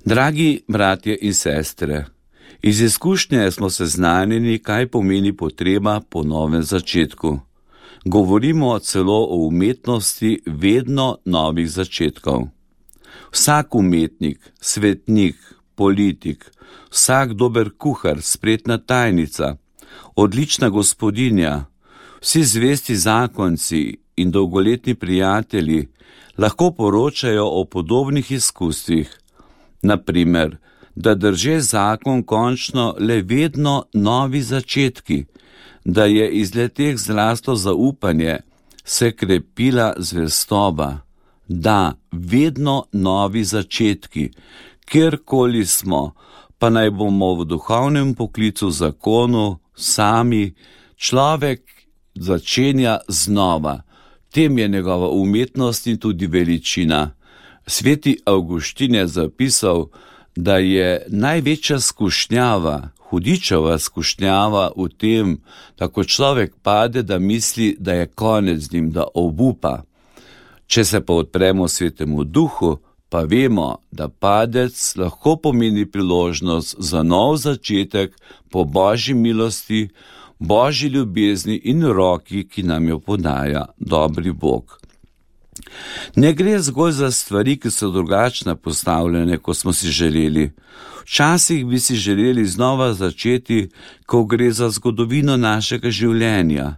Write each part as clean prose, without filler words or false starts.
Dragi bratje in sestre, iz izkušnje smo seznanjeni, kaj pomeni potreba po novem začetku. Govorimo celo o umetnosti vedno novih začetkov. Vsak umetnik, svetnik, politik, vsak dober kuhar, spretna tajnica, odlična gospodinja, vsi zvesti zakonci in dolgoletni prijatelji lahko poročajo o podobnih izkustvih. Naprimer, da drže zakon končno le vedno novi začetki, da je iz leteh zraslo zaupanje, se krepila zvestoba, da vedno novi začetki, kjerkoli smo, pa naj bomo v duhovnem poklicu zakonu sami, človek začenja znova. Tem je njegova umetnost in tudi veličina. Sveti Avguštin je zapisal, da je največja skušnjava, hudičeva skušnjava v tem, da ko človek pade, da misli, da je konec z njim, da obupa. Če se pa odpremo Svetemu Duhu, pa vemo, da padec lahko pomeni priložnost za nov začetek po Božji milosti, Božji ljubezni in roki, ki nam jo podaja dobri Bog. Ne gre zgolj za stvari, ki so drugačne postavljene, kot smo si želeli. Včasih bi si želeli znova začeti, ko gre za zgodovino našega življenja.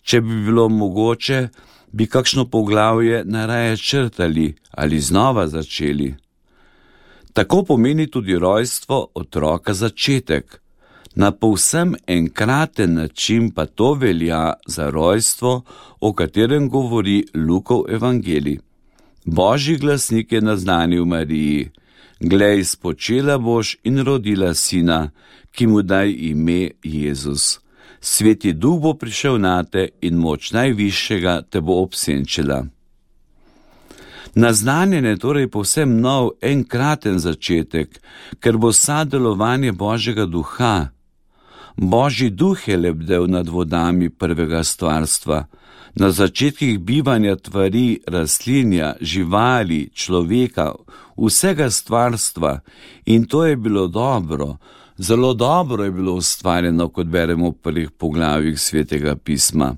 Če bi bilo mogoče, bi kakšno poglavje najraje črtali ali znova začeli. Tako pomeni tudi rojstvo otroka začetek. Na povsem enkraten način pa to velja za rojstvo, o katerem govori Lukov evangelij. Božji glasnik je naznanil Mariji: glej, spočela boš in rodila sina, ki mu daj ime Jezus. Sveti Duh bo prišel nate in moč Najvišjega te bo obsenčila. Naznanjen je torej povsem nov, enkraten začetek, ker bo delovanje Božjega Duha. Božji Duh je lebdel nad vodami prvega stvarstva, na začetkih bivanja tvari, rastlinja, živali, človeka, vsega stvarstva, in to je bilo dobro. Zelo dobro je bilo ustvarjeno, kot beremo v prvih poglavjih Svetega pisma.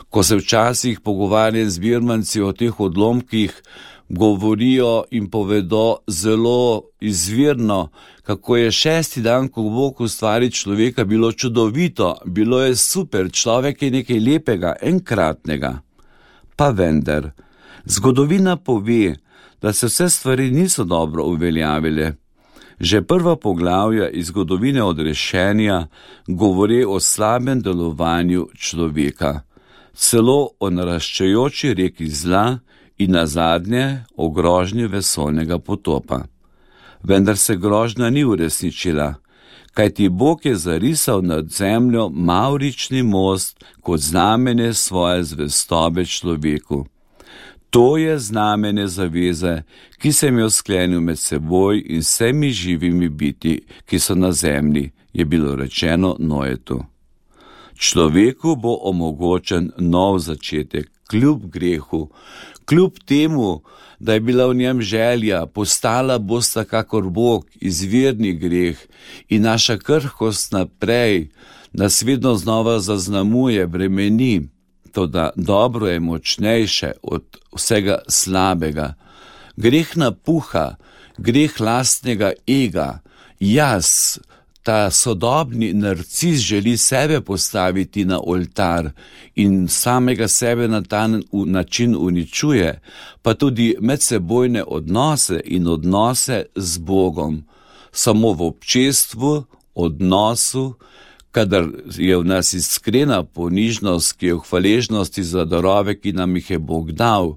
Ko se včasih pogovarjam z birmanci o teh odlomkih, govorijo in povedo zelo izvirno, kako je 6. dan, ko Bog ustvari človeka, bilo čudovito, bilo je super, človek je nekaj lepega, enkratnega. Pa vendar, zgodovina pove, da se vse stvari niso dobro uveljavile. Že prva poglavja iz zgodovine odrešenja govori o slabem delovanju človeka, celo o naraščajoči reki zla in nazadnje o grožnji vesoljnega potopa. Vendar se grožnja ni uresničila, kajti Bog je zarisal nad zemljo mavrični most kot znamenje svoje zvestobe človeku. To je znamenje zaveze, ki sem jo sklenil med seboj in vsemi živimi biti, ki so na zemlji, je bilo rečeno Noetu. Človeku bo omogočen nov začetek, kljub grehu, kljub temu, da je bila v njem želja, postala bosta kakor Bog, izvirni greh in naša krhkost naprej nas vedno znova zaznamuje, bremeni. Toda dobro je močnejše od vsega slabega. Greh napuha, greh lastnega ega, jaz, ta sodobni narcis želi sebe postaviti na oltar in samega sebe na ta način uničuje, pa tudi medsebojne odnose in odnose z Bogom. Samo v občestvu, odnosu, kadar je v nas iskrena ponižnost, ki je v hvaležnosti za darove, ki nam jih je Bog dal,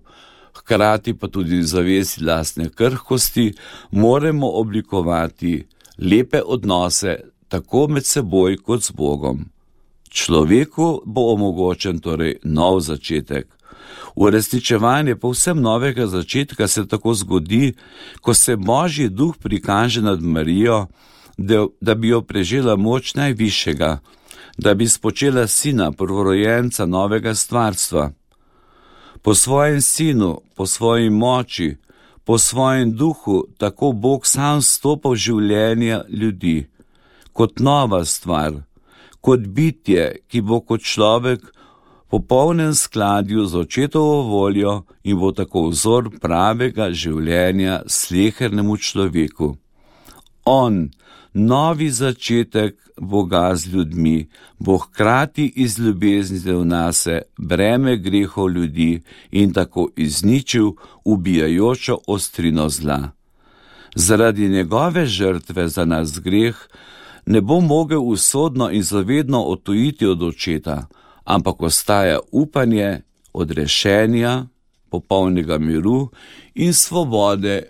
hkrati pa tudi zavesti lastne krhkosti, moramo oblikovati lepe odnose tako med seboj kot z Bogom. Človeku bo omogočen torej nov začetek. Uresničevanje povsem novega začetka se tako zgodi, ko se Božji Duh prikaže nad Marijo, da bi jo prežela moč Najvišjega, da bi spočela sina, prvorojenca novega stvarstva. Po svojem sinu, po svoji moči, Po svojem duhu tako Bog sam stopa v življenje ljudi, kot nova stvar, kot bitje, ki bo kot človek v popolnem skladju z očetovo voljo in bo tako vzor pravega življenja slehernemu človeku. On, novi začetek Boga z ljudmi, bo hkrati iz ljubezni v nase breme grehov ljudi in tako izničil ubijajočo ostrino zla. Zaradi njegove žrtve za nas greh ne bo mogel usodno in zavedno odtujiti od očeta, ampak ostaja upanje odrešenja, popolnega miru in svobode,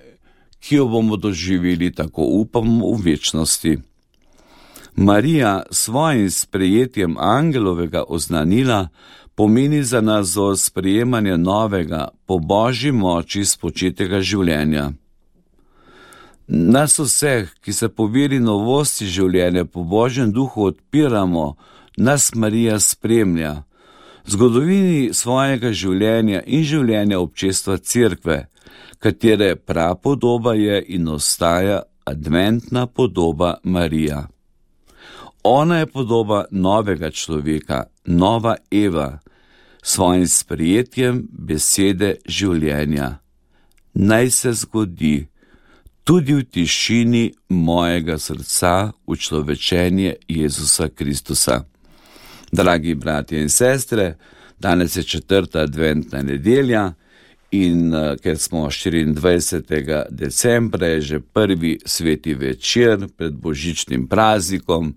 ki jo bomo doživeli, tako upamo, v večnosti. Marija svojim sprejetjem angelovega oznanila pomeni za nas vzor sprejemanja novega, po Božji moči spočetega življenja. Nas vseh, ki se po veri novosti življenja po Božjem duhu odpiramo, nas Marija spremlja. V zgodovini svojega življenja in življenja občestva Cerkve, katere prapodoba je in ostaja adventna podoba Marija. Ona je podoba novega človeka, nova Eva, svojim sprejetjem besede življenja. Naj se zgodi tudi v tišini mojega srca učlovečenje Jezusa Kristusa. Dragi bratje in sestre, danes je 4. adventna nedelja in ker smo 24. decembra, je že prvi sveti večer pred božičnim praznikom.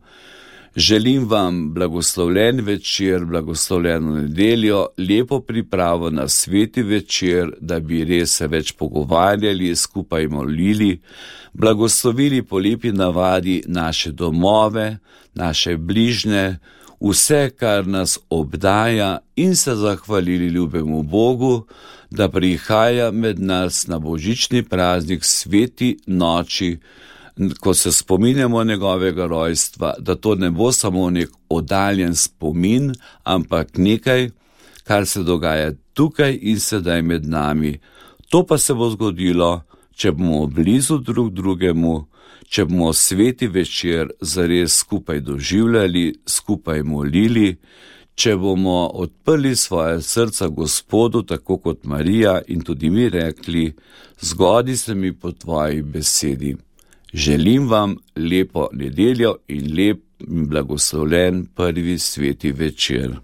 Želim vam blagoslovljen večer, blagoslovljeno nedeljo, lepo pripravo na sveti večer, da bi res se več pogovarjali, skupaj molili, blagoslovili po lepi navadi naše domove, naše bližnje, vse, kar nas obdaja, in se zahvalili ljubemu Bogu, da prihaja med nas na božični praznik sveti noči, ko se spominjamo njegovega rojstva, da to ne bo samo nek oddaljen spomin, ampak nekaj, kar se dogaja tukaj in sedaj med nami. To pa se bo zgodilo, če bomo blizu drug drugemu, če bomo sveti večer zares skupaj doživljali, skupaj molili, če bomo odprli svoje srca Gospodu, tako kot Marija, in tudi mi rekli: zgodi se mi po tvoji besedi. Želim vam lepo nedeljo in lep in blagoslovljen prvi sveti večer.